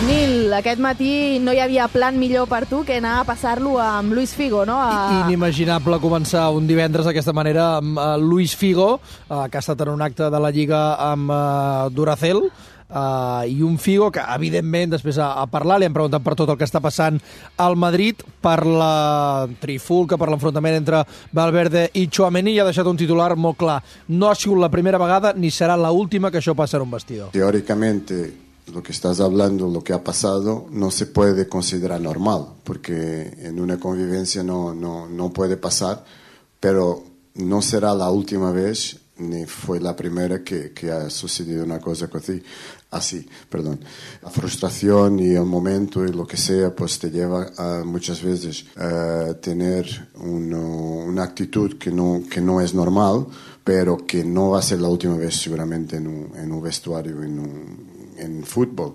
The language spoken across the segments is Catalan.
Nil, aquest matí no hi havia plan millor per tu que anar a passar-lo amb Luis Figo, no? Inimaginable començar un divendres d'aquesta manera amb Luis Figo, que ha estat en un acte de la Lliga amb Duracell, i un Figo que, evidentment, després a parlar, li han preguntat per tot el que està passant al Madrid, per la trifulca, per l'enfrontament entre Valverde i Tchouaméni, i ha deixat un titular molt clar. No ha sigut la primera vegada ni serà l'última que això passa en un vestidor. Teóricamente, lo que estás hablando, lo que ha pasado, no se puede considerar normal, porque en una convivencia no puede pasar, pero no será la última vez ni fue la primera que ha sucedido una cosa así. La frustración y el momento y lo que sea, pues te lleva a muchas veces a tener una actitud que no es normal, pero que no va a ser la última vez seguramente en un vestuario, en fútbol,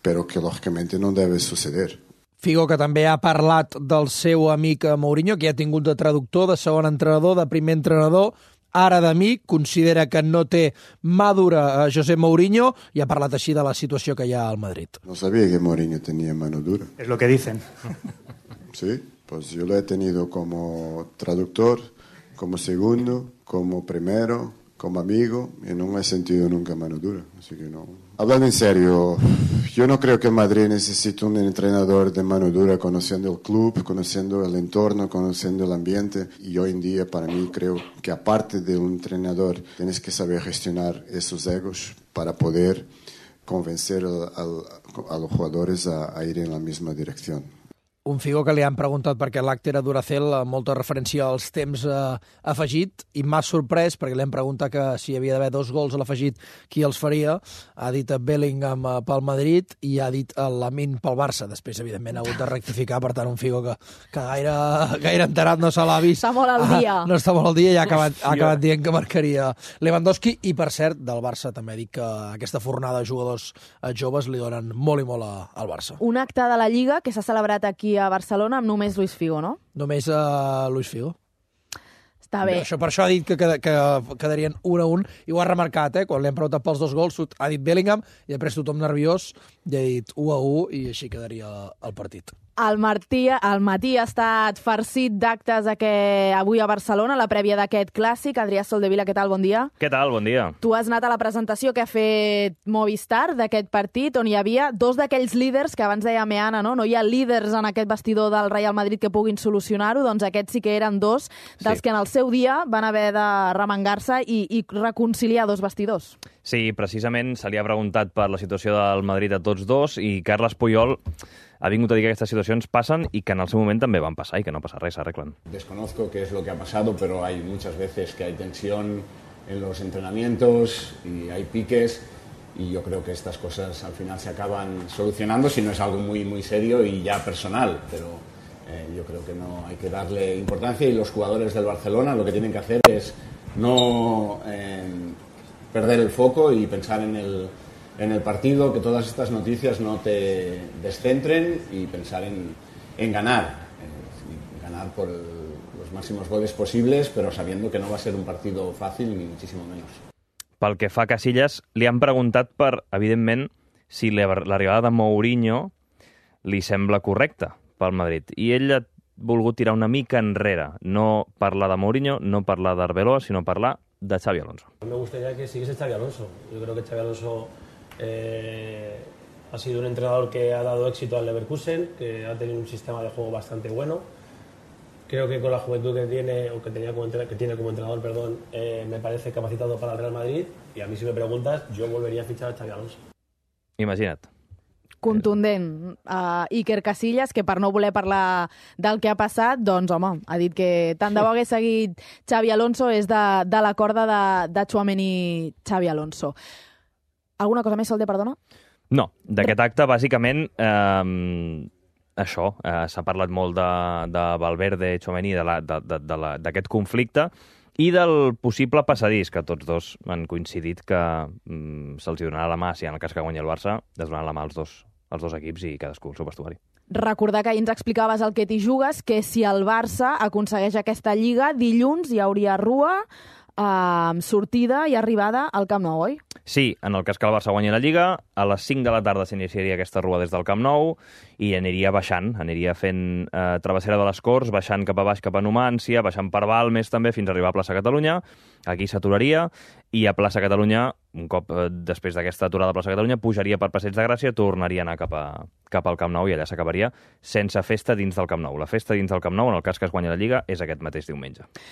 pero que lógicamente no debe suceder. Figo, que també ha parlat del seu amic Mourinho, que ja ha tingut de traductor, de segon entrenador, de primer entrenador, ara d'amic, considera que no té mà dura a José Mourinho i ha parlat així de la situació que hi ha al Madrid. No sabía que Mourinho tenía mano dura. Es lo que dicen. Sí, pues yo lo he tenido como traductor, como segundo, como primero, como amigo, y no he sentido nunca mano dura, así que no. Hablando en serio, yo no creo que el Madrid necesite un entrenador de mano dura, conociendo el club, conociendo el entorno, conociendo el ambiente, y hoy en día para mí creo que aparte de un entrenador tienes que saber gestionar esos egos para poder convencer a los jugadores a ir en la misma dirección. Un Figo que li han preguntat perquè l'acte era Duracell, molta referència als temps afegit, i m'ha sorprès perquè li han preguntat que si hi havia d'haver 2 gols a l'afegit, qui els faria. Ha dit Bellingham pel Madrid i ha dit Lamine pel Barça. Després, evidentment, ha hagut de rectificar, per tant, un Figo que gaire enterat no se l'ha vist. Està molt al dia. No està molt al dia i ha acabat dient que marcaria Lewandowski, i, per cert, del Barça també ha dit que aquesta fornada de jugadors joves li donen molt i molt al Barça. Un acte de la Lliga que s'ha celebrat aquí a Barcelona amb només Luis Figo, no? Només Luis Figo. Està bé. Per això ha dit que quedarien 1-1, i ho ha remarcat, quan li han preguntat pels 2 gols, ha dit Bellingham, i després tothom nerviós, i ha dit 1-1, i així quedaria el partit. El matí ha estat farcit d'actes avui a Barcelona, la prèvia d'aquest clàssic. Adrià Soldevila, què tal? Bon dia. Què tal? Bon dia. Tu has anat a la presentació que ha fet Movistar d'aquest partit, on hi havia 2 d'aquells líders que abans deia Meana, no? No hi ha líders en aquest vestidor del Real Madrid que puguin solucionar-ho, doncs aquests sí que eren 2 dels que en el seu dia van haver de remengar-se i reconciliar 2 vestidors. Sí, precisament se li ha preguntat per la situació del Madrid a tots 2, i Carles Puyol ha vingut a dir que aquestes situacions passen i que en el seu moment també van passar i que no passa res, s'arreglen. Desconozco qué es lo que ha pasado, pero hay muchas veces que hay tensión en los entrenamientos y hay piques, y yo creo que estas cosas al final se acaban solucionando si no es algo muy, muy serio y ya personal, pero yo creo que no hay que darle importancia, y los jugadores del Barcelona lo que tienen que hacer es no perder el foco y pensar en el partido, que todas estas noticias no te descentren, y pensar en ganar por los máximos goles posibles, pero sabiendo que no va a ser un partido fácil, ni muchísimo menos. Pel que fa a Casillas, li han preguntat per, evidentment, si l'arribada de Mourinho li sembla correcta pel Madrid, i ell ha volgut tirar una mica enrere, no parlar de Mourinho, no parlar d'Arbeloa, sinó parlar de Xavi Alonso. Me gustaría que siguiese Xavi Alonso. Yo creo que Xavi Alonso ha sido un entrenador que ha dado éxito al Leverkusen, que ha tenido un sistema de juego bastante bueno. Creo que con la juventud que tiene, o que tiene como entrenador, me parece capacitado para el Real Madrid, y a mí, si me preguntas, yo volvería a fichar a Xavi Alonso. Imagina't. Contundent. Iker Casillas, que per no voler parlar del que ha passat, doncs, home, ha dit que tant de bo hagués seguit Xavi Alonso, és de la corda de Tchouaméni Xavi Alonso. Alguna cosa més, Solde, perdona? No, d'aquest acte, bàsicament, això, s'ha parlat molt de Valverde, Tchouaméni, d'aquest conflicte, i del possible passadís, que tots 2 han coincidit que se'ls donarà la mà, si en el cas que guanyi el Barça, es donaran la mà als dos equips i cadascú el seu vestuari. Recordar que ahir ens explicaves el que t'hi jugues, que si el Barça aconsegueix aquesta Lliga, dilluns hi hauria rua, sortida i arribada al Camp Nou, oi? Sí, en el cas que el Barça guanyi la Lliga, a les 5 de la tarda s'iniciaria aquesta rua des del Camp Nou i aniria baixant, aniria fent travessera de les Corts, baixant cap a baix cap a Numància, baixant per Balmes també fins a arribar a Plaça Catalunya. Aquí s'aturaria i a Plaça Catalunya, un cop després d'aquesta aturada a Plaça Catalunya, pujaria per Passeig de Gràcia, tornaria a anar cap al Camp Nou i allà s'acabaria sense festa dins del Camp Nou. La festa dins del Camp Nou, en el cas que es guanyi la Lliga, és aquest mateix diumenge.